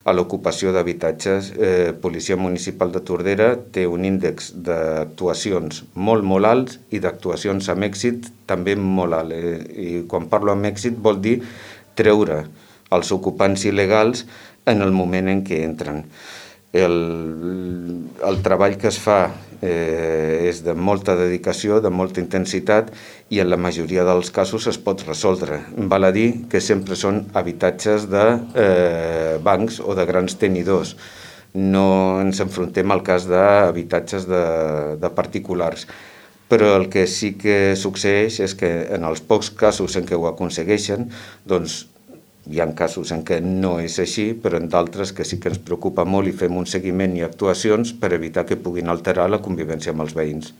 a l'ocupació d'habitatges. Policia Municipal de Tordera té un índex d'actuacions molt, molt alts i d'actuacions amb èxit també molt alt. I quan parlo amb èxit vol dir treure els ocupants il·legals en el moment en què entren. El treball que es fa és de molta dedicació, de molta intensitat i en la majoria dels casos es pot resoldre. Val a dir que sempre són habitatges de bancs o de grans tenidors. No ens enfrontem al cas d'habitatges de particulars. Però el que sí que succeeix és que en els pocs casos en què ho aconsegueixen, doncs hi ha casos en què no és així, però en d'altres que sí que ens preocupa molt i fem un seguiment i actuacions per evitar que puguin alterar la convivència amb els veïns.